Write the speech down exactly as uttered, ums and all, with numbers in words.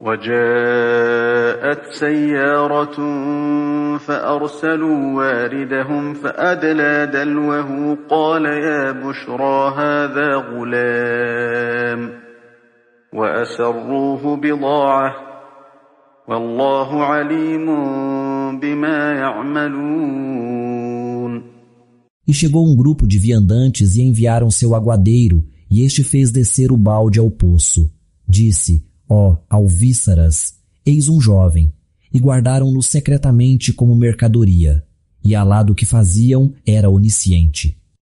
وجاءت سيارة فأرسلوا واردهم فأدلى دلوه قال يا بشرى هذا غلام وأسروه بضاعة والله عليم بما يعملون. E chegou um grupo de viandantes e enviaram seu aguadeiro, e este fez descer o balde ao poço. Disse: ó, alvíçaras, eis um jovem, e guardaram-no secretamente como mercadoria, e Alá do que faziam era onisciente.